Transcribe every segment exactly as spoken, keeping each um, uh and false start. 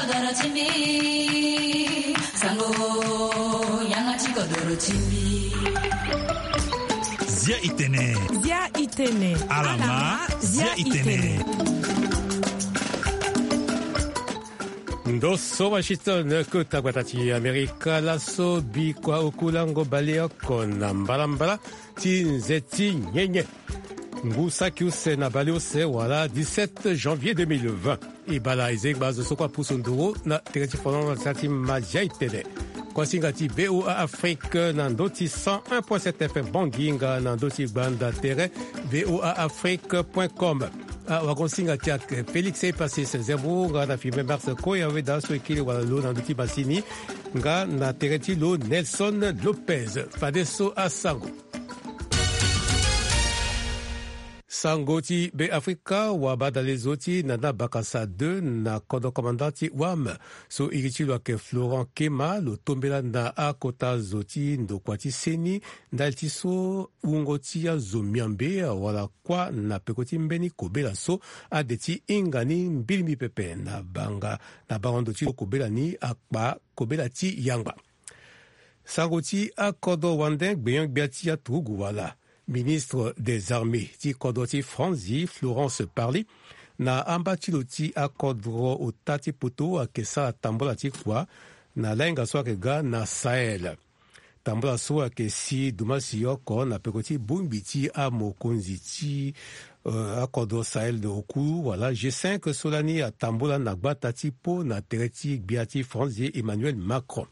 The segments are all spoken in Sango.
Zia itene. Zia itene. Alama, zia itene. Ndo so Washington, kota gbata ti Amerika. Laso bikua oku lango baleoko na mbalambala ti nze ti nyenye. Ngu saki use na baleuse wala dix-sept janvier deux mille vingt. E bala e zengba zo so kue apusu nduru na tere ti folongo na tere ti ma zia itene. Kuasinga ti V O A Afrique na ndö ti cent un point sept F M Bangui nga na ndö ti gbanda tere V O A Afrique point com. Awagosinga ti ake Félix Epasis Zembo nga na filme Mars Koya Weda so e kiri wala lo na ndö ti masini nga na tere ti lo Nelson Lopez. Fadeso asango. Sango ti Be Afrika, wabadale zo ti Nana Bakasa deux na kodro commandant ti wam so iri ti lo ayeke Florent Kema lo tombela na akota zo ti ndokua ti seni ndali ti so wungo ti azo miambe wala kuâ na peko ti mbeni kobela so ade ti hinga ni mbilimbi pepe na banga na bango ndo ti lo kobela ni akpa kobela ti yangba. Sango ti akodro wande gbenyo-gbia ti aturugu wala ministre des armées ti kodro ti Franzi, Florence Parly, na amba ti lo ti akodro ota ti poto ayeke sara tambula ti kua na lahinga so ayeke ga na Sahel. Tambula so ayeke si dumasi oko na peko ti bongbi ti amokonzi ti eh, akodro Sahel oku wala G cinq so lani atambula na gbata ti Po na tere ti gbia ti Franzi Emmanuel Macron.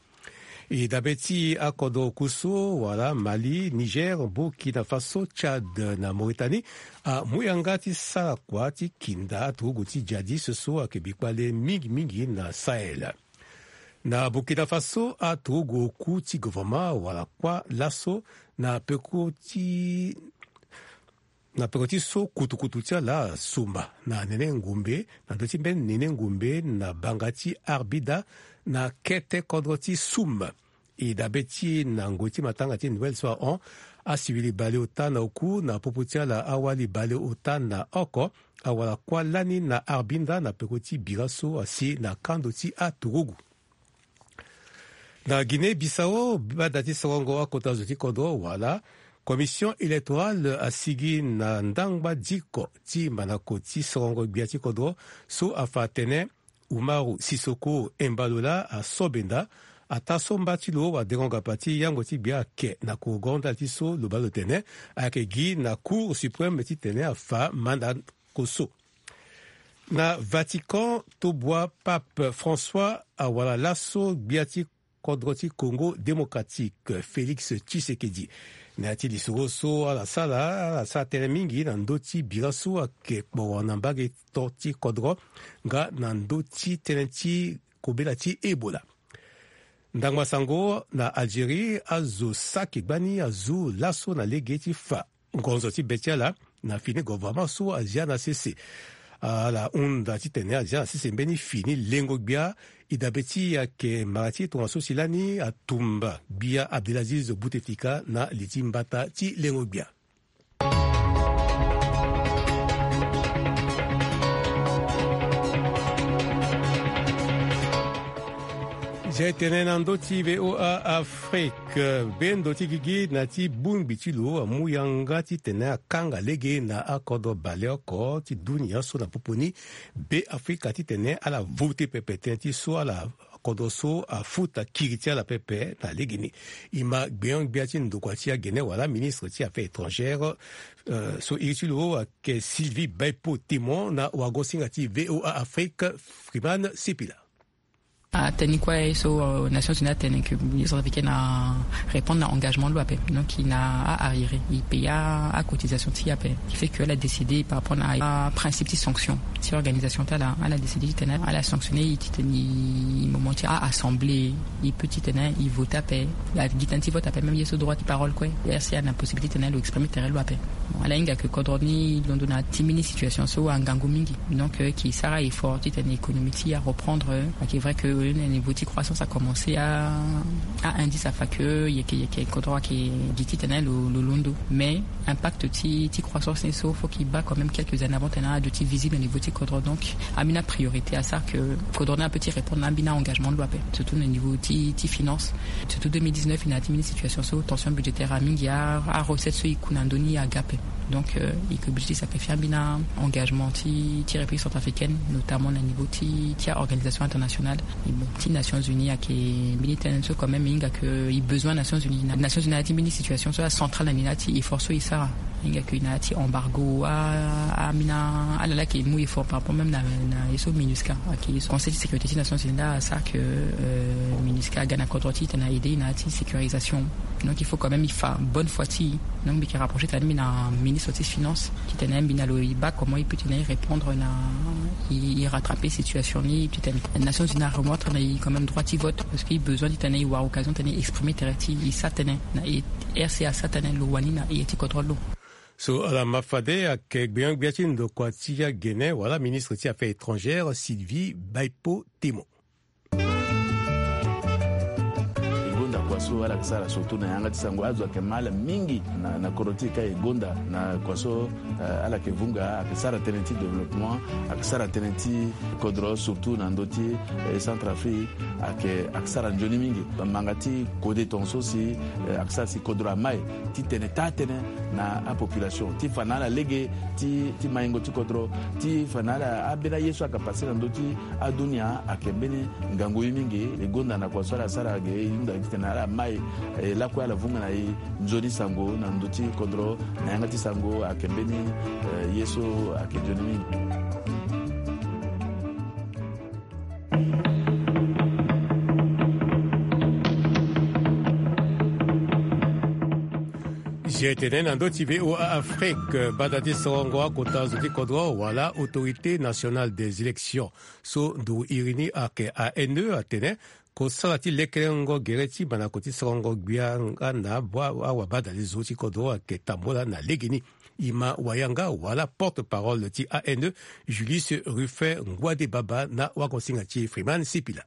E dabe ti akodro oku so wala Mali, Niger, Burkina Faso, Tchad na Mauritanie amu yanga ti sara kua ti kinda aturugu ti djihadiste so ayeke bikpale mingimingi na Sahel. Na Burkina Faso aturugu oku ti gouvernement wala kuâ laso na peko ti na peko ti so kutukutu ti ala asumba na nene ngumbe na ndö ti mbeni nene ngumbe na banga ti Arbida na kete kodro ti Soum. E dabe ti e na ngoi ti matanga ti Noël so ahon, asivili baleota na oku na popo ti ala awali baleota na oko awara kuâ lani na Arbida na peko ti bira so asi na kando ti aturugu. Na Guinée Bissau, bada ti sorongo akota zo ti kodro wala commission électorale asigi na ndangba diko ti manako ti sorongo gbia ti kodro so afa atene Umaru Sisoko Embalola aso benda ataa so mba ti lo wadengo ngapa ti yango ti gbia ake na korogo ndali ti so lo baa lo tene ayeke gi na Cour suprême titene afa mandako so. Na Vatican, tobua Pape François awara laso gbia ti kodro ti Congo Démocratique, Félix Tshisekedi. Na ya ti lisoro so ala sara, ala sara tënë mingi na ndö ti bira so ayeke kporo na mbage to ti kodro nga na ndö ti tënë ti kobela ti Ebola. Ndangba sango na Algérie, azo saki gbani azu laso na lege ti fa ngonzo ti be ti ala na fini gouvernement so azia na sese. Ala hunda titene azia na sese mbeni fini lengo gbia. E dabe ti e ayeke mara ti tongaso si lani atumba gbia Abdelaziz Bouteflika na li ti mbata ti lengo gbia. Zia e tene na ndö ti V O A Afrique, bendo ti gigi na ti bongbi ti lo amu yanga titene akanga lege na akodro baleoko ti dunia so na popo ni Be Afrika titene ala vote pepe tënë ti so ala kodro so afuta kiri ti ala pepe na legeni. E ma gbenyo-gbia ti ndokua ti agene wala ministre ti affaires étrangères, eh, so iri ti lo ayeke Sylvie Baipo Temon na wagosinga ti V O A Afrique, Freeman Sipila. Atene ni kue so, euh, Nations Unies atene que Israël africaine a répondre na engagement lo ape. Donc il na a arriéré, il paye a cotisation ti ape. Qui fait que elle a décidé par rapport à principe de sanction. Si organisation ta la, elle a décidé titene ala sanctionner, titene moment ti a assemblée, il peut titene il vote ape. La gi titene ti vote ape, même ye so droit de parole kue. R C A na possibilité titene lo exprimer tere lo ape. Ala hinga ke kodro ni londo na ti mbeni situation so angangu mingi. Donc euh, ki sara effort titene économie ti areprendre euh, ake vrai que euh, na niveau ti croissance a commencé à à indice afa que yeke yeke kodro ake gi titene lo, lo londo. Mais impact ti ti croissance ni so faut qu'il bat quand même quelques années avant tena ado ti visible au niveau ti kodro. Donc ambeni apriorité asara ke kodro ni ape ti répondre na ambeni aengagement lo ape, surtout na niveau ti ti finance. Surtout deux mille dix-neuf i na ya ti mbeni situation so tension budgétaire amingi, arecette so i ku na ndö ni aga ape. Donc euh, i ke obligé ti sacrifier ambeni aengagement ti ti république centrafricaine, notamment na niveau ti ti aorganisation internationale. Ti Nations Unies ake mbeni tënë so quand même i hinga ke i besoin Nations Unies. Nations Unies na ya ti mbeni situation so acentrale na ni na ya ti effort so i sara. I hinga ke i na ya ti embargo a amina ala la ke i mu effort par rapport même na ye so MINUSCA ake conseil ti sécurité ti Nations Unies la asara ke euh, MINUSCA aga na kodro ti tena aide i na ya ti sécurisation. Donc il faut quand même i fa bonne foi ti i. Donc mbi ke rapprocher tena mbi na ministre ti finance titene mbi na lo i ba comment i peut tena i répondre na i rattraper situation ni titene Nations Unies aremettre na i quand même droit ti vote parce que i besoin titene i wara occasion titene i exprimer tere ti i sa tene na i RCA sa tene lo wani na i ti kodro lo. So ala ma fade ake gbenyo-gbia ti ndokua ti agene wala ministre ti affaires étrangères Sylvie Baipo Temo. E gonda kua so ala yeke sara surtout na yanga ti sango azo ayeke ma ala mingi na, na kodro ti e ka e gonda na kua so eh, ala yeke vunga ayeke sara tënë ti développement, ayeke sara tënë ti kodro surtout na ndö ti eh, Centrafrique ayeke ayeke sara nzoni mingi. Manga ti kode tongaso si eh, ayeke sara si kodro amai titene taa tënë na apopulation ti fa na ala lege ti ti maingo ti kodro ti fa na ala ambeni aye so ayeke pase na ndö ti adunia ayeke mbeni ngangu ye mingi. E gonda na kua so ala sara ge e hunda titene ala mai eh, lakue ala vunga na e nzoni sango na ndö ti kodro na yanga ti sango ayeke mbeni eh, ye so ayeke nzoni mingi. Zia tene na ndö ti VOA Afrique bada ti sorongo akota zo ti kodro wala Autorité Nationale des Élections so nduru iri ni ayeke ANE atene kosala ti lekelengo gere ti mandako ti sorongo gbia nga na bua awabadale zo ti kodro ayeke tambula na legeni. I ma wayanga wala porte-parole ti ANE Julius Ruffin Ngouade Baba na wagosinga ti Freeman Sipila.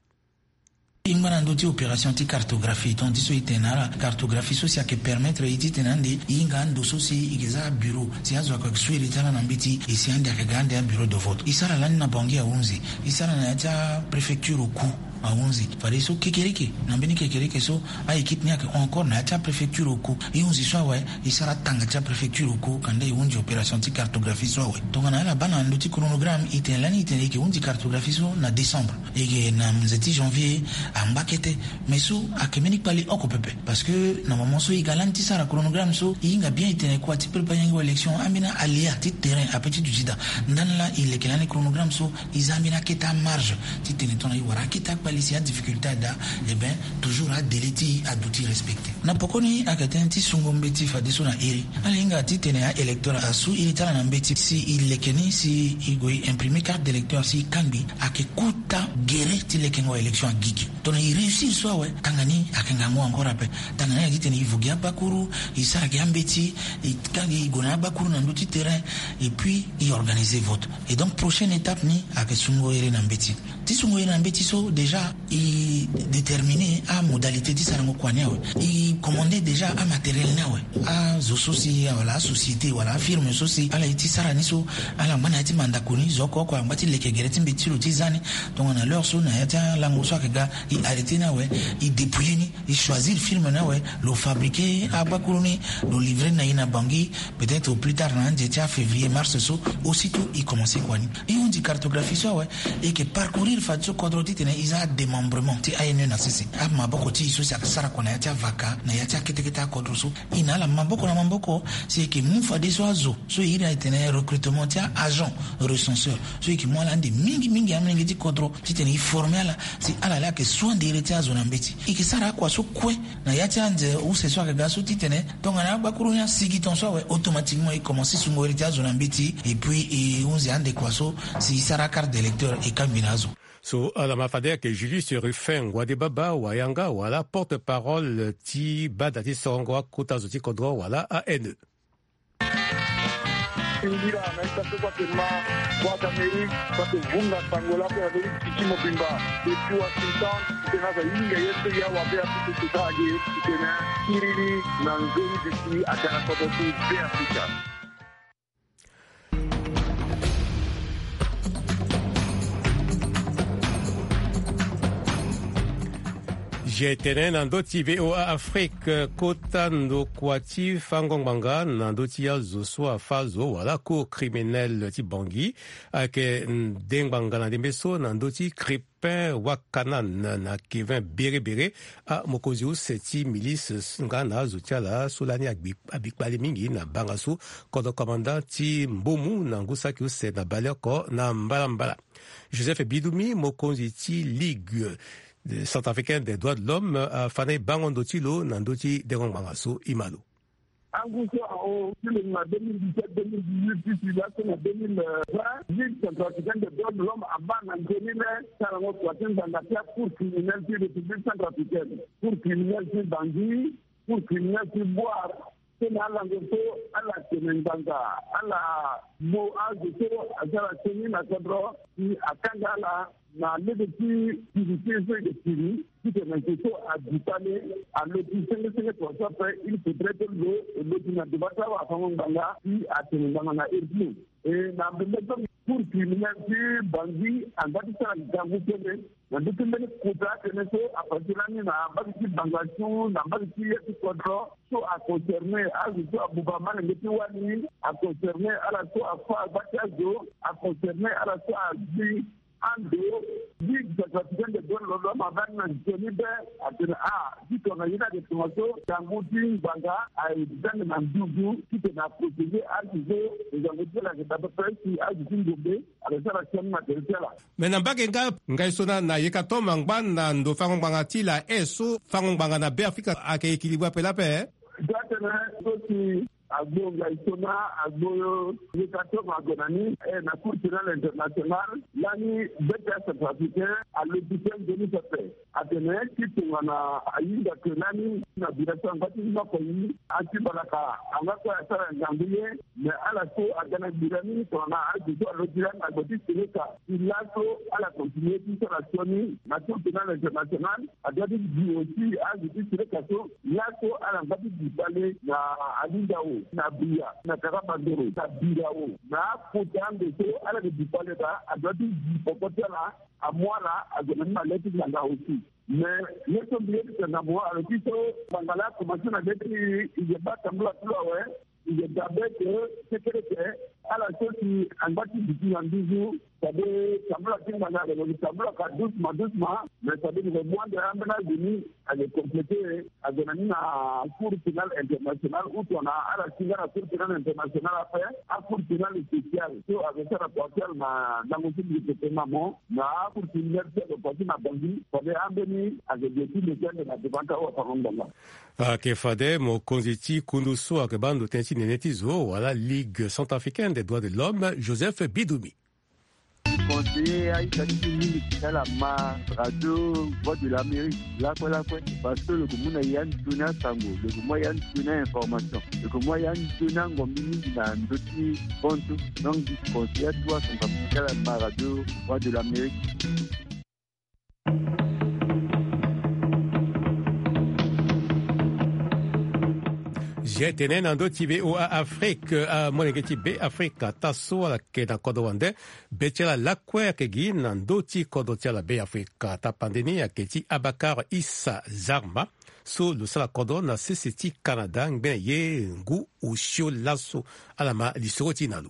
E ngba na ndö ti opération ti cartographie, donc ti so e tene na ala cartographie so si ayeke permettre e titene ande e hinga ando so si e yeke za abureau si azo ayeke su iri ti ala na mbeti e si ande ayeke ga ande abureau de vote. E sara lani na Bangui ahunzi, e sara na ya ti apréfecture oku ahunzi. Fadeso kekereke na mbeni kekereke so a-équipe ni ayeke hon encore na ya ti apréfecture oku. E hunzi so awe e sara tanga ti apréfecture oku kanda e hunzi opération ti cartographie so awe. Tongana ala baa na ndö ti chronogramme e tene lani e tene e yeke hunzi cartographie so na décembre. E yeke na nze ti janvier angba kete. Mais so ayeke mbeni kpale oko pepe. Parce que na moment so e ga lani ti sara chronogramme so e hinga bien e tene kua ti préparer yango élection ambeni aléa ti terrain ape ti duti daa. Ndani laa e leke lani chronogramme so e za ambeni akete amarge ti tene tongana e wara akete akpale si adifficulté ada, eh ben toujours adélai ti e aduti respecté. Na pokoni ayeke tënë ti sungo mbeti fadeso na iri. Ala hinga titene a-électeur asu iri ti ala na mbeti si e leke ni si e gue e imprimer carte d'électeur si e kangbi, ayeke kota gere ti lekengo élection agigi. Tongana e réussir so awe, tanga ni ayeke ngangu encore ape. Tanga ni ayeke titene e vo gi abakuru, e sara gi ambeti, e kangbi e gue na abakuru na ndö ti terrain, et puis e organiser vote. Et donc prochaine étape ni ayeke sungo iri na mbeti. Ti sungo iri na mbeti so déjà e déterminer amodalité ti sarango kua ni awe. E commander déjà amatériel ni awe. Azo so si wala asociété wala afirme so si ala ye ti sara ni so ala ngba na ya ti mandako ni zo oko oko angba ti leke gere ti mbeti ti lo ti za ni. Tongana l'heure so na ya ti alango so ayeke ga e arrêter ni awe, e dépouiller ni, e choisir firme ni awe, lo fabriquer abakuru ni, lo livrer ni na e na Bangui, peut-être au plus tard na ande ti afévrier mars so, aussitôt e commencer kua ni. E hunzi cartographie so awe, e yeke parcourir fadeso kodro titene e za adémembrement ti ANE na sese. Amaboko ti e so si ayeke sara kua na ya ti avaka na ya ti akete kete akodro so, e na ala maboko na maboko si e yeke mu fadeso azo so e iri atene recrutement ti a-agent recenseur so e yeke mu ala ande mingi mingi amolenge ti kodro titene e former ala si ala laa ayeke su ande iri ti azo na mbeti. E yeke sara akua so kue na ya ti anze use so ayeke ga so titene tongana abakuru ni asigi ton so awe, automatiquement e commencer sungo iri ti azo na mbeti, et puis e hunzi ande kua so si e sara acarte d'électeur e kangbi na azo. So ala ma fade ayeke Julius Ruffin Ngouade Baba wayanga wala porte-parole ti bada ti sorongo akota zo ti kodro wala ANE. Singira na ita so kua te ma, kua te Amerike kua te vunga sango lakue na lori titi mobimba. Depuis Washington, titene aza hinga ye so ya wabe apusu sesa age, titene kiriri na nzoni disi aga na kodro ti Be Afrika. Ge tene na ndö ti V O A Afrique, kota ndokua ti fango ngbanga na ndö ti azo so afâ zo wala cour criminelle ti Bangui ayeke nde ngbanga na ndembe so na ndö ti Crépin Wacanan na Kevin Béré-Béré, amokonzi use ti milice nga na azo ti ala so lani agbi, abi kpale mingi na banga so kodro commandant ti Mbomu na ngu saki use na baleoko na mbalambala. Joseph Bidumi, mokonzi ti Ligue, eh, centrafricaine des droits de l'homme, afa na e bango ndo ti lo na ndö ti dengo ngbanga so. E ma lo. Angu so ahon ti lo na deux mille dix-sept, deux mille dix-huit ti si laso na deux mille vingt, Ligue centrafricaine des droits de l'homme abaa na nzoni le ti alango kua ti ngbanga ti acour criminelle ti République centrafricaine, cour criminelle ti Bangui, cour criminelle ti Bouar. So na alango so ala tene ngbanga, ala mo azo so asara sioni na kodro, si akanga ala na lege ti kiri ti e so e yeke kiri, titene zo so adu kpale alo ti senge senge tongaso ape. Il faudrait que lo, lo ti na devant ti awafango ngbanga si atene ngbanga na heure ti lo. E na mbembe so cour criminelle ti Bangui angba ti sara ngangu tënë na ndö ti mbeni kota atene so afa ti lani na mbage ti Bangassou, na mbage ti ye ti kodro so aconcerné azo so abuba malenge ti wali, aconcerné ala so afâ agba ti azo, aconcerné ala so agbi ando. Ligue centrafricaine des droits de l'homme abaa ni na nzoni be atene a, ti tongana ye ni ayeke tongaso, ngangu ti ngbanga aye zia ni na nduzu titene aprotéger azo so ngangu ti ala ayeke daa pepe si azo ti ngombe ayeke sara sioni na tere ti ala. Me na mbage nga, ngai so na, na yeka toma ngba na ndo fango ngbanga ti la e so fango ngbanga na Be Afrika ayeke équilibré ape lape. Za tene so si agbo ngai so na agbo yeka toma ague na ni, eh, na Cour pénale internationale, lani be ti acentrafricain alobi tënë nzoni pepe. Atene ti tongana ahinga ke lani na bira so angba ti noko yi, ati balaka angba kue asara ngangu ye, me ala so aga na bira ni tongana azo so alobi lani na gbe ti seleka. Si laso ala continue ti sara sioni na Cour pénale internationale, adoit ti gi aussi azo ti seleka so laso ala ngba ti gi kpale na Alindao, na Bria, na Karabandoro, na Birao, na akota ande so ala yeke gi kpale daa, adoit ti gi poko ti ala, amu ala ague na ni na le ti ngbanga aussi. Mais ye so mbi ye ti tene na mo, alo ti so ngbanga laa akomanse na le ti i yeke baa tambula ti lo awe. I yeke dabe ke kekereke ala so si angba ti duti na nduzu, c'est-à-dire tambula ti ngbanga ayeke lo yeke tambula ka doucement doucement, mais c'est-à-dire lo yeke mu ande ambeni azo ni ayeke complété, ague na ni na Cour pénale internationale ou tongana ala si nga na Cour pénale internationale ape, acour pénale spéciale so ayeke sara kua ti ala na ndango so mbi yeke tene na mo, na acour criminelle so ayeke kua ti na Bangui, fade ambeni ayeke gue ti lo ti ande na devant ti awafango-ngbanga. Ayeke fade mokonzi ti kundu so ayeke baa ndo tënë ti nene ti zo wala Ligue centrafricaine des droits de l'homme, Joseph Bidoumi. Conseiller aita ti mingi ti ala ma radio Voix de l'Amérique lakue lakue, parce que lo yeke mu na ya nzoni asango, lo yeke mu ya nzoni a-information, lo yeke mu ya nzoni angombi mingi na ndö ti bantu. Donc mbi conseiller atu acentrafricain ti ala ma radio Voix de l'Amérique. Ge tene na ndö ti V O A Afrique, amolenge ti Be Afrika, taa so ala yeke na kodro wande, be ti ala lakue ayeke gi na ndö ti kodro ti ala Be Afrika. Tapande ni ayeke ti Abakar Issa Zarma, so lo sara kodro na sese ti Canada ngbene ye ngu osio laso. Ala ma lisoro ti e na lo.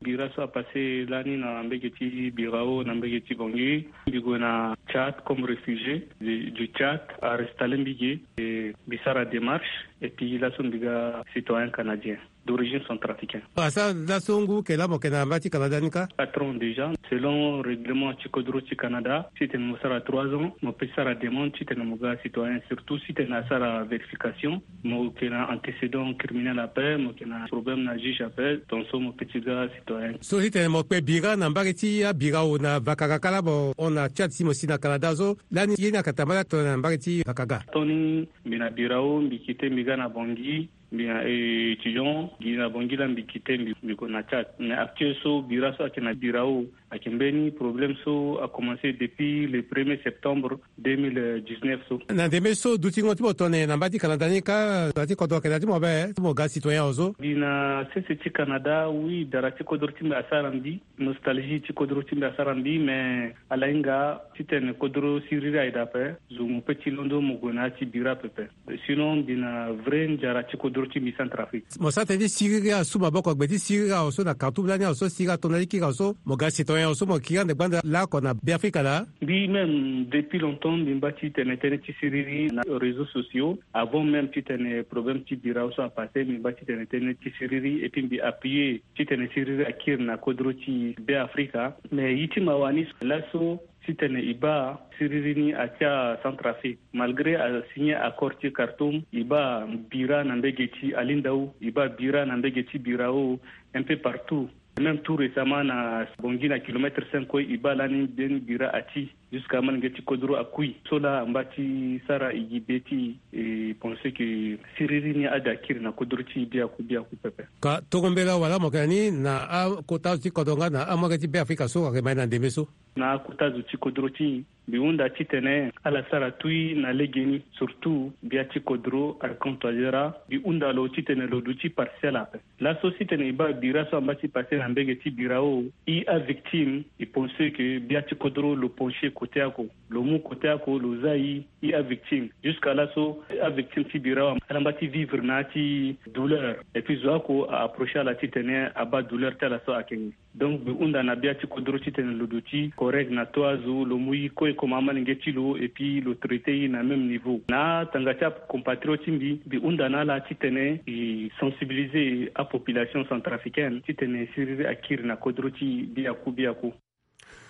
Bira so apassé lani na mbage ti Birao na mbage ti Bangui. Mbi gue na Tchad comme réfugié du, du Tchad, arestallé mbi ge, et mbi sara démarche, et puis laso mbi ga citoyen canadien d'origine centrafricaine. Asara laso ngu ke laa mo yeke na mbage ti Canada ni kâ? Quatre ans déjà. Selon règlement ti kodro ti Canada, titene mo sara trois ans, mo peut sara demande titene mo ga citoyen, surtout titene asara vérification. Mo yeke na antécédent criminel ape, mo yeke na problème na juge ape, tongaso mo peut ti ga citoyen. So titene mo kpe bira na mbage ti abirao na Vakaga kâ laa, mo hon na Tchad si mo si na Canada so, lani ye ni ayeke tambala tongana na mbage ti Vakaga? Tongana mbi na birao, mbi kite mbi ga na Bangui, Mbi na étudiant gi na Bangui la, mbi kite mbi mbi gue na Tchad. Mais actuel so bira so ayeke na Birao ayeke mbeni problème so a commencé depuis le premier septembre deux mille dix-neuf so. Na ndembe so dutingo ti mo tongana na mba ti Canada ni kâ, dara ti kodro ayeke na ya ti mo ape ti mo ga citoyen awe so? Mbi na sese ti Canada, oui, dara ti kodro ti mbi asara mbi. Nostalgie ti kodro ti mbi asara mbi, mais ala hinga titene kodro siriri aye daa ape, zo mo pe ti londo mo gue na ya ti bira pepe. Sinon mbi na vrai nzara ti kodro ti mbi Centrafrique. Mo sara tënë ti siriri asu maboko gbe ti siriri awe so na Khartoum lani awe so siriri ato na ti kiri awe so, mo ga citoyen awe so mo kiri ande gbanda laoko na Beafrika laa? Mbi même depuis longtemps mbi mba titene tënë ti siriri na réseaux sociaux. Avant même titene problème ti bira awe so apassé, mbi mba titene tënë ti siriri et puis mbi appuyer titene siriri akiri na kodro ti Beafrika. Mais ye ti mawa ni laso titene e baa siriri ni atia Centrafrique. Malgré asigné accord ti Khartoum, e baa bira na mbege ti Alindao, e baa bira na mbege ti Birao, un peu partout. Même tout récemment na Bangui na kilomètre cinq kue, e baa lani mbeni bira ati. Jusqu'à amolenge ti kodro akui. So laa amba ti sara e gi be ti e, e pensé que siriri ni ade akiri na kodro ti e biaku biaku pepe. Ka tongo mbela wala mo yeke na ni na akota azo ti kodro nga na amolenge ti Beafrika so ayeke ma e na ndembe so? Na akota azo ti kodro ti e, mbi hunda titene ala sara tui na legeni, surtout bia ti kodro Arkan Touadéra. Mbi hunda lo titene lo duti partiel ape. Laso titene e baa bira so amba ti passé na mbege ti Birao, e avictime, e pensé que bia ti kodro lo penché côté oko, lo mu côté oko, lo za e, e avictime. Jusqu'à laso avictime ti bira ala amba ti vivre na ya ti douleur. Et puis zo oko a approché ala titene abaa douleur ti ala so akenge. Donc mbi hunda na bia ti kodro titene lo duti correct na to azo, lo mu e kue comme amolenge ti lo et puis lo traité e na même niveau. Na atanga ti acompatriote ti mbi, mbi hunda na ala titene e sensibiliser apopulation centrafricaine titene siriri akiri na kodro ti e biaku biaku.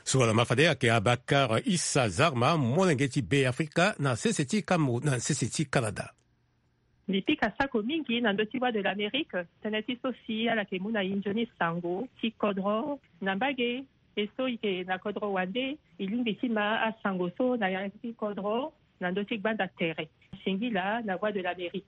So wala ma fade ayeke Abakar Issa Zarma, molenge ti Beafrika na sese ti Cameroun, na sese ti Canada. Mbi pika sako mingi na ndö ti Voix de l'Amérique, tënë ti so si ala yeke mu na e nzoni sango ti kodro na mbage. E so e yeke na kodro wande, e lingbi ti ma asango so na yanga ti kodro na ndö ti gbanda tere. Singila na Voix de l'Amérique.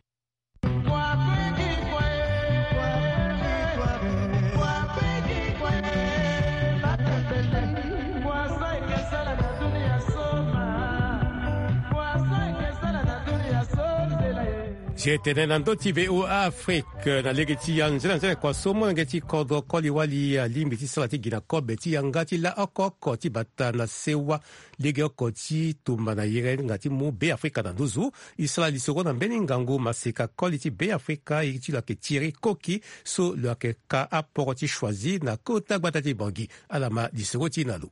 Si e tene na ndö ti V O A Afrique, na lege ti anzene anzene kua so molenge ti kodro koli wali alingbi ti sara ti gi na kobe ti yanga ti laoko oko ti bata na sewa legeoko ti tumba na yerenga ti mu Beafrika na nduzu. E sara lisoro na mbeni ngangu maseka koli ti Beafrika, ye ti lo ayeke Thierry Koki, so lo yeke ka aporo ti Choisy na kota gbata ti Bangui. Ala ma lisoro ti e na lo.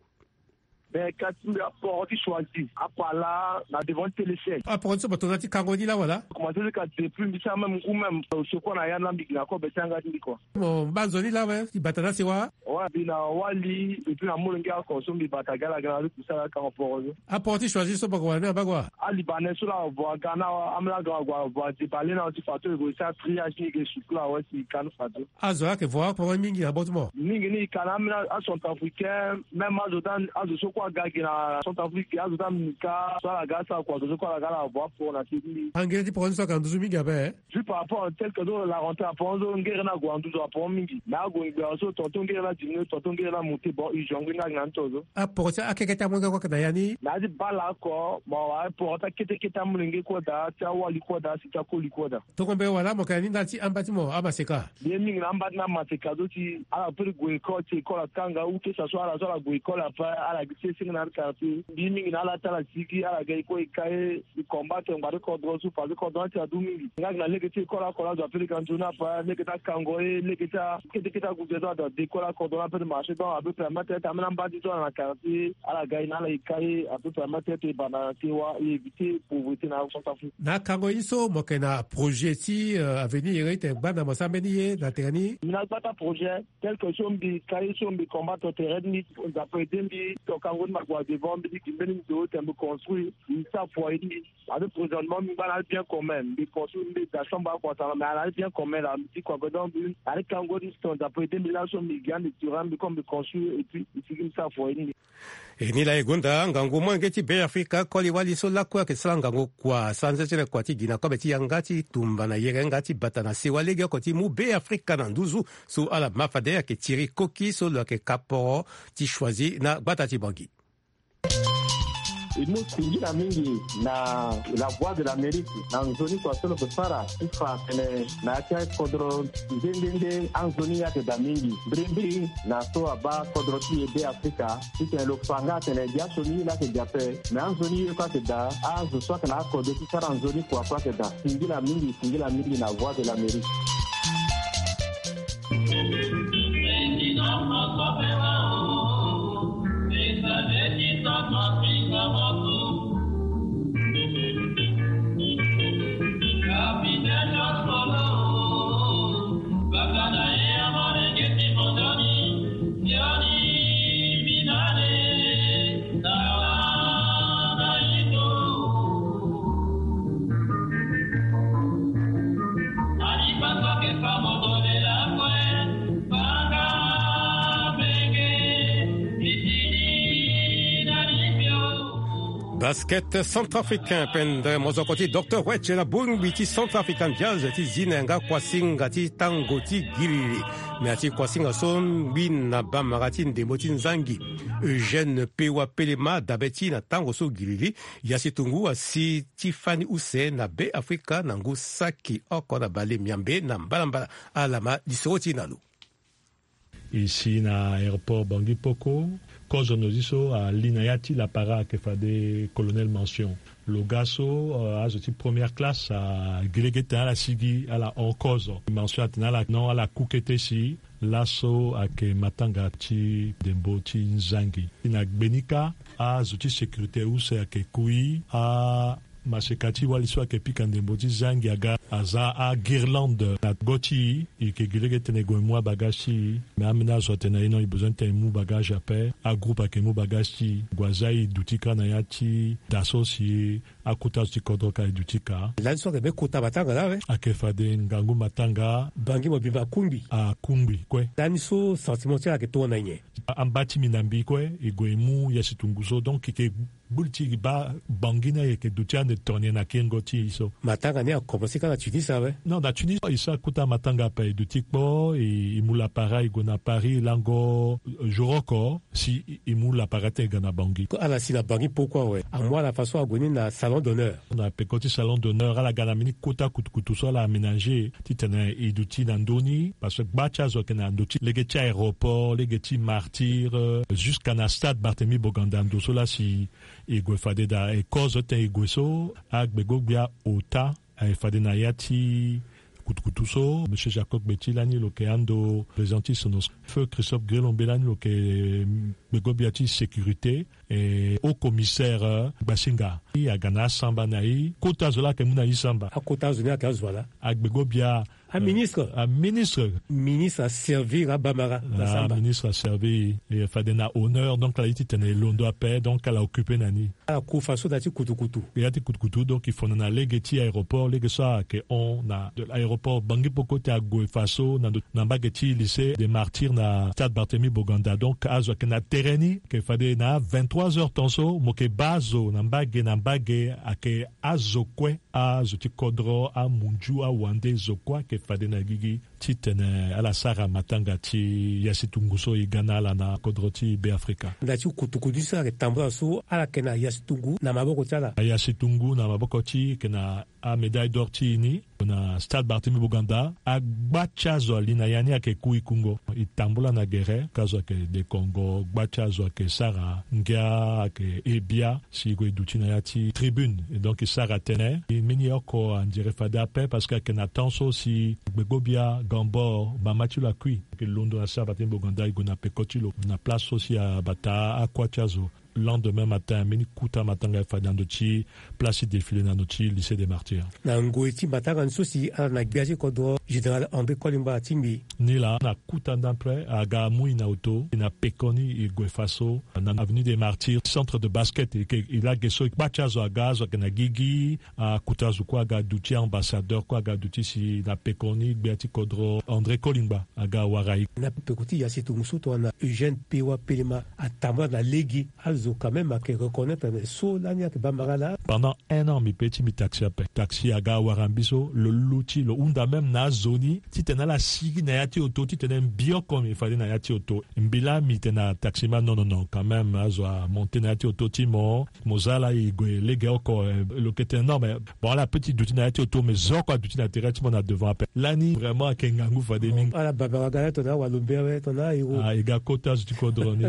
Ben, kasi mbi aporo ti Choisy, apala na devant ti Télécel. Aporo ti so mo tongana ti kango ni laa wala? Commencé ti ka depuis mbi sara même ngu même, euh, secours na ya na mbi gi na kobe ti yanga ti mbi kua. Mo baa nzoni laa awe ti bata na asewa? Ouais, mbi na wali, et puis na molenge oko so mbi bata gi ala gi na ala ti kusala akango poro so. Aporo ti Choisy so mo gue wala ni abaa kua? Alibanais so laa avo aga na awe, ambeni aga ague avo adebale na awe ti fa so e gue e sara triage ni e ke sukula awe si e ka ni fa so. Azo laa ayeke vo aporo mingi na bot mo? Mingi ni e ka na ambeni acentrafricain, même azo ti, azo so kue aga gi na Centrafrique, azo ti amika so ala ga asara kua, azo so kue ala ga ala avo aporo na se ti mbi. Angere ti poro ni so ayeke na nduzu mingi ape? Juste par rapport tel que so la rentrée aporo so ngere ni ague na nduzu aporo mingi. Mais ague ngbe awe so tonton ngere ni adiminué, tonton ngere ni amonté, bon, urgent ngbene ni ayeke na ni to so. Aporo ti akeke ti amolenge kue ayeke na ya ni? Na ya ti bale oko, mo wara aporo ti akete kete amolenge kue daa, ti awali kue daa, si ti akoli kue daa. Tongo mbela wala mo yeke na ni ndali ti amba ti mo amaseka? Mbi ye mingi na amba ti ni amaseka so si ala peut ti gue école, si école akanga, ou que ça soit ala so ala gue école ape, ala gi ti senge na ya ti quartier. Mbi ye mingi na ala ti ala sigi, ala ga e kue e ka e, e combattre ngbanga ti kodro so, parce que kodro ni ati adu mingi. Nga gi na lege ti école oko laa azo ape ti ga nzoni ape, lege ti akango ye, lege ti a, kete kete ague zo so azo adécolle akodro ni ape ti marché. Donc ape permettre ti ambeni amba ti so ala na quartier, ala ga e na ala e ka e, ape permettre ti e banda na sewa, e éviter pauvreté na Centrafrique. Na akango ye ni so mo yeke na projet ti, euh, avenir, ye ti tene gbanda mo sara mbeni ye na tere ni? Mbi na gbata projet. Tel que so mbi ka ye so mbi combattre tere ni, Nzapa aidé mbi, to kango Mbi ma gue na devant, mbi liki mbeni nzo ti mbi construire, mbi sara foyer ni. Ade prochainement mbi ngba na ali bien commun, mbi construire, mbi da chambre akua tara, mais ala ali bien commun la mbi ti kua, donc mbi ali kango distance après deux mille là so mbi gi ande tura mbi comme mbi construire et puis mbi sigi mbi sara foyer ni. E ni laa e gonda ngangu molenge ti Be Afrika koli wali so lakue ayeke sara ngangu kua, sara nze ti le kua ti gi na kobe ti yanga ti tumba na yere nga ti bata na sewa legeoko ti mu Be Afrika na nduzu. So ala ma fade ayeke Thierry Koki so lo yeke kaporo ti choisi na gbata ti Bangui. E mu singila mingi na La Voix de l'Amérique na nzoni kua so lo yeke sara ti fa atene na ya ti akodro nde nde nde anzoni ye ayeke daa mingi mbirimbiri na so abaa kodro ti e Be Afrika. Titene lo fa nga atene gi asioni ye laa ayeke gi ape, me anzoni ye kue ayeke daa. Azo so ayeke na akodro ti sara nzoni kua kue ayeke daa. Singila mingi, singila mingi na Voix de l'Amérique. Basket centrafricain, pendre mozoko ti Docteur Wetch na bongbi ti Centrafrican Jazz ti zi na yanga kuasinga ti tango ti giriri. Me ati kuasinga so ngbi na bamara ti ndembo ti nzangi Eugène Pewa Pelema dabe ti na tango so giriri. Yasi Tungu asi ti fani use na Be Afrika na ngu saki oko na bale miambe na mbalambala. Ala ma lisoro ti na lo. E si na aéroport Bangui Poko, kozo nozi so ali na ya ti lapara ayeke fade Colonel Mention. Lo ga so, euh, azo ti première classe, ah, gi lege ti tene ala sigi, ala hon kozo. Mention atene ala non, ala ku kete si laso ayeke matanga ti ndembo ti nzangi. Na gbenika, azo ti sécurité use ayeke kui, a maseka ti wali so ayeke pika ndembo ti zangi aga aza aguirlande na go ti e. E yeke gi lege titene e gue mu abagage ti e. Me ambeni azo atene na e non, e besoin titene e mu bagage ape. Agroupe ayeke mu bagage ti e. Gue aza e duti kâ na ya ti da so si akota azo ti kodro ka e duti kâ. Lani so ayeke be kota matanga laa awe. Ayeke fade ngangu matanga. Bangi mobimba akungbi. Akungbi kue. Lani so sentiment ti ala ayeke tongana nyen? Amba ti mbi na mbi kue, e gue e mu Yasi Tungu so. Donc e yeke gbu li ti e baa Bangui ni ayeke duti ande tongana nyen na kengo ti e so. Matanga ni akomanse kâ na Tunis awe. Non, na Tunis e sara kota matanga ape, e duti kpo, e, e mu lapara e gue na Paris lango jour oko si e, e mu lapara ti e ga na Bangui. Ala si na Bangui poko awe. Amu ala façon ague ni na salon d'honneur. Na peko ti salon d'honneur ala ga na mbeni kota kutukutu so ala aménager titene e duti na ndö ni, parce que gba ti azo ayeke na ndo ti lege ti aéroport, lege ti Martyrs, euh, jusqu'à na stade Barthélemy Boganda, ndo so laa si e gue fade daa. E kozo titene e gue so, agbego-gbia ota aye fade na ya ti kutukutu so. Monsieur Jacob Gbeti lani lo yeke ando président ti Sonosco. Feu Christophe Grelombe lani lo yeke, mm, gbego-gbia ti sécurité, e haut commissaire, euh, Gbasinga. E aga na asamba na e. Kota zo laa ayeke mu na e samba. Akota zo ni ayeke azo ala? Agbego-gbia, aministre. Euh, aministre. Ministre aservir abamara na samba. Ministre aservir e fade na honneur, donc ala ye titene e londo ape, donc ala occupe na ni. Ala ku façon na ya ti kutukutu. Ya ti kutukutu, donc e fono na lege ti aéroport, lege so ayeke hon na de l'aéroport Bangui Poko ti ague façon na ndo, na mbage ti lycée des Martyrs na stade Barthélemy Boganda. Donc azo ayeke na tere ni, ayeke fade na vingt-trois heures ton so mo yeke baa zo na mbage na mbage, ayeke azo kue, azo ti kodro, amunzu, awande, zo kue ayeke fade na gigi titene ala sara matanga ti Yasi Tungu so e ga na ala na kodro ti Be Afrika. Na ti kutukutu so ala yeke tambula so, ala yeke na Yasi Tungu na maboko ti ala? Yasi Tungu na maboko ti e, e yeke na amédaille d'or ti e ni na stade Barthélemy Boganda. Agba ti azo ali na ya ni ayeke ku e kungo. E tambula na gere, ka azo ayeke dekongo, gba ti azo ayeke sara ngia, ayeke he bia. Si e gue e duti na ya ti tribune, e donc e sara tënë. E mbeni oko andire fade ape parce que ayeke na temps so si gbego-gbia Gambor, mama ti lo akui, ayeke londo na stade Barthélemy Boganda, e gue na peko ti lo na place so si abata akua ti azo. Lendemain matin, mbeni kuta matanga e fa na ndo ti place ti défilé na ndo ti lycée des martyrs. Na ngoi ti matanga ni so si ala na gbia ti kodro général André Kolingba atingbi. Ni laa na kuta ndapre aga amui na oto e na pekoni e gue faso na avenue des martyrs, centre de basket e ke e lage so e kpati azo aga azo ayeke na gigi. Akuta azo kue aga duti ambassadeur kue aga duti si na pekoni gbia ti kodro André Kolingba aga wara e. Na peko ti ya si tongo so tongana Eugène Pewa Pelema atambula na lege. Azo quand même ayeke reconnaître na so lani ayeke bamara laa. Pendant un an mbi pe ti mbi taxi ape taxi aga wara mbi so lo luti lo hunda même na azo ni titene ala sigi na ya ti oto titene mbi oko mbi fade na ya ti oto. Mbi laa mbi tene na taxi ma non non non quand même azo amonte na ya ti oto ti mo. Mo za ala e gue lege oko. Lo ke tene non mais bon ala pe ti duti na ya ti oto mais zo oko aduti na tere ti mo na devant ape lani vraiment ayeke ngangu fade mingi. Ala babara ga la tongana awalombe awe tongana airo. Ah e ga kota zo ti kodro ni.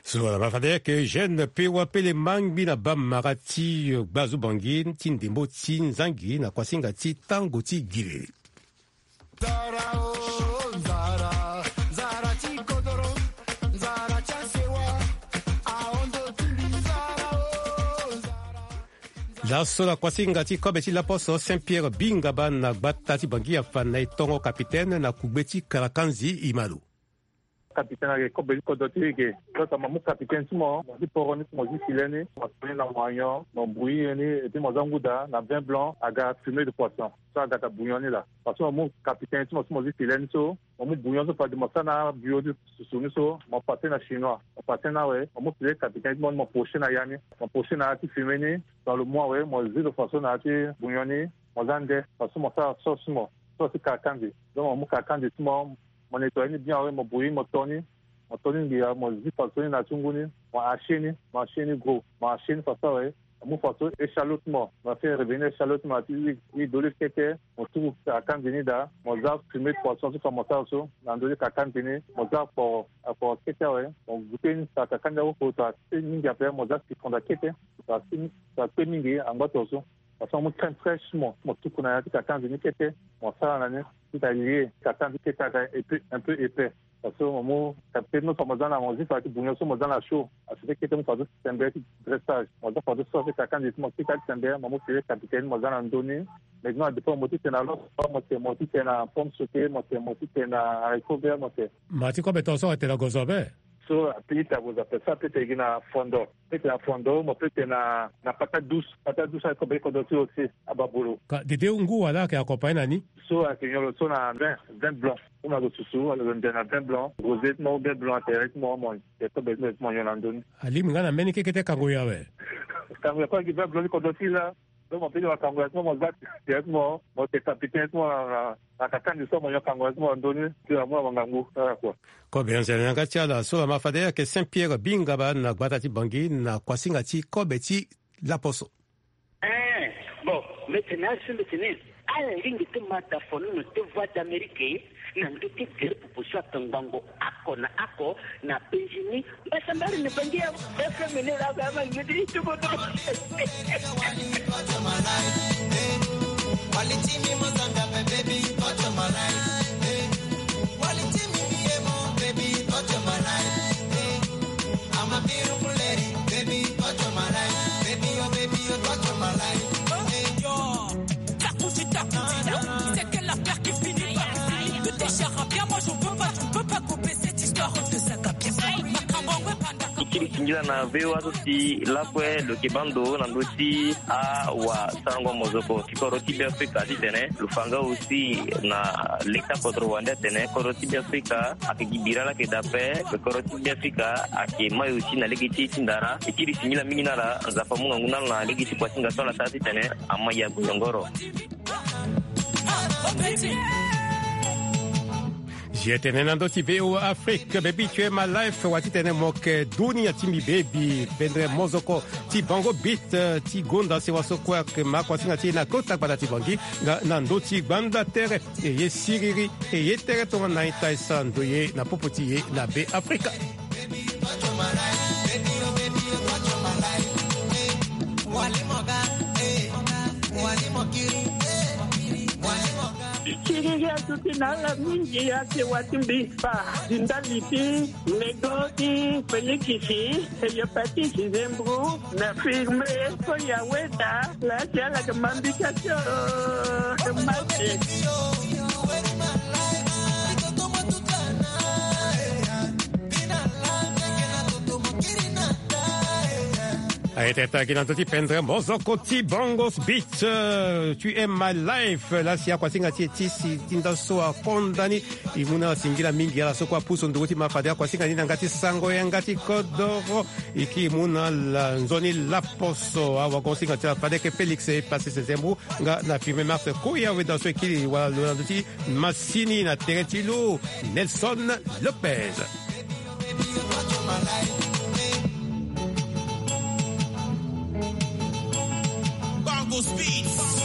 So wala ma fade ayeke Eugène Pewa Pelema ngbi na bamara ti gbazo bangi ti ndembo ti nzangi na kuasinga ti tango ti giri. Laso na kuasinga ti kobe ti laposo Saint Pierre Bingaba na gbata ti Bangi afa na e tongo kapitene na kugbe ti Karakanzi Imalo. Kapitene ayeke kobe ti kodro ti e ge. Lo tongana mo mu kapitene ti mo mo zi poro ni mo zi file ni mo to ni na moignon mo bouillir ni et puis mo za nguda na vin blanc aga fumée de poisson. So aga ta bouillon ni laa parce que mo mu kapitene ti mo so mo zi file ni so mo mu bouillon so fade mo sara na bio ti susu ni so mo pase na chinois mo pase na awe mo mu file kapitene ti mo ni mo poche na ya ni. Mo poche na ya ti fumée ni dans le mois awe mo zi lo faso na ya ti bouillon ni. Mo za nde faso mo sara sauce ti mo sauce ti kakandi. Donc mo mu kakandi ti mo mo nettoyer ni bien awe mo bouillir mo to ni. Mo to ni ngia mo zi faso ni na ti ngu ni. Mo hacher ni mo hacher ni gros mo hacher ni faso awe. Mo mu faso échalote mo mo fait revenir échalote mo na ti huile d'olive kete. Mo tuku kakandi ni daa mo za fumée de poisson so fa mo sara so na ndö ti kakandi ni. Mo za akporo akporo kete awe. Mo goûter ni sa kakandi akoko ta kpe mingi ape mo za sikonda kete. Sa kpe mingi angba to so. Parce que mo mu crème fraîche mo mo tuku na ya ti kakandi ni kete. Mo sara na ni ti ta lie kakandi kete aga un peu épais. Parce que mo mu kapitene mo fa mo za na mo zi fa ti bouillon so mo za na chaud. Asete kete mo fa so ti tembe ti dressage mo za fa so so ti kakandi ti mo kika ti tembe mo mu file kapitene mo za na ndö ni. Maintenant dépend mo ti tene na loso mo tene mo ti tene na pomme sautée mo tene mo ti tene na haricot vert mo tene. Ma ti kobe tongaso atene na gozo ape. So ape ita gozo ape so ape tene gi na fondo. Peut-être na fondo mo peut-être na na patate douce patate douce aye kobe ti kodro ti lo aussi. Ababolo. Ka dede ngu wala ayeke accompagné na ni? So ayeke nyon lo so na vin vin blanc. Comme ayeke susu ayeke nde na vin blanc rosé ti mo ou vin blanc atere ti mo mo yeke kobe ti mo nyon na ndö ni. Alingbi nga na mbeni kekete kango yo awe. Kango yo kue ayeke vin blanc ti kodro ti la. Donc mo peut ti mo kango yo ti mo mo za tere ti mo mo yeke kapitene ti mo na na kakandi so mo nyon kango yo ti mo na ndö ni. Ti na mu na mo ngangu ala kua. Kobe anzene na yanga ti ala so lama fade ayeke Saint Pierre Bingaba na gbata ti Bangi na kuasinga ti kobe ti laposo. Ee, bon, mete na asu mete ni. Ala lingbi ti ma da fo nono ti Voix d'Amérique na ndö ti gere popo so atongbango oko na oko na Benjini. Mbasambari ni bangi ya F M ni la ga ma ngidi tuko to. Ti kiri singila na V O A so si lakue lo yeke baa ndo na ndö ti awasarango mozoko ti kodro ti Beafrika titene lo fa nga aussi na leta kodro wande atene kodro ti Beafrika ayeke gi bira laa ayeke daa ape. Kodro ti Beafrika ayeke mai aussi na lege ti e ti ndara. E kiri singila mingi na ala. Nzapa amu ngangu na ala na lege ti kuasinga so ala sara titene amai ague yongoro. Zi etene na ndö ti V O A Afrique, baby tu es ma life, wa titene mo yeke dunia ti mbi baby, pendre mozoko ti bango beat, eh, ti gonda sewa so kue ayeke ma kuasinga ti e na kota gbata ti Bangi, nga na ndö ti gbanda tere, e ye siriri, e ye tere tongana na ita e sara ndoye na popo ti e na Be Afrika. Tuti na ala mingi ake wati mbi fa di ndali ti lego ti Felikisi, eyo pati si zembru na firme ko ya weda la si ala ke mambika tio. Mate. Aye teta ki na ndö ti pendre mozoko ti Bongos Beat, euh, tu aimes my life. La si akuasinga ti e ti si ti nda so akonda ni. E mu na ala singila mingi, ala so kue apusu nduru ti ma fade akuasinga ni na yanga ti sango yanga ti kodoro. E ki mu na ala nzoni laposo awagonsinga ti ala fade ke Félix e pasi sezembru nga na firme Mars Koya weda so e kiri wala lo na ndö ti masini na tere ti lo Nelson Lopez. Bongo Speed.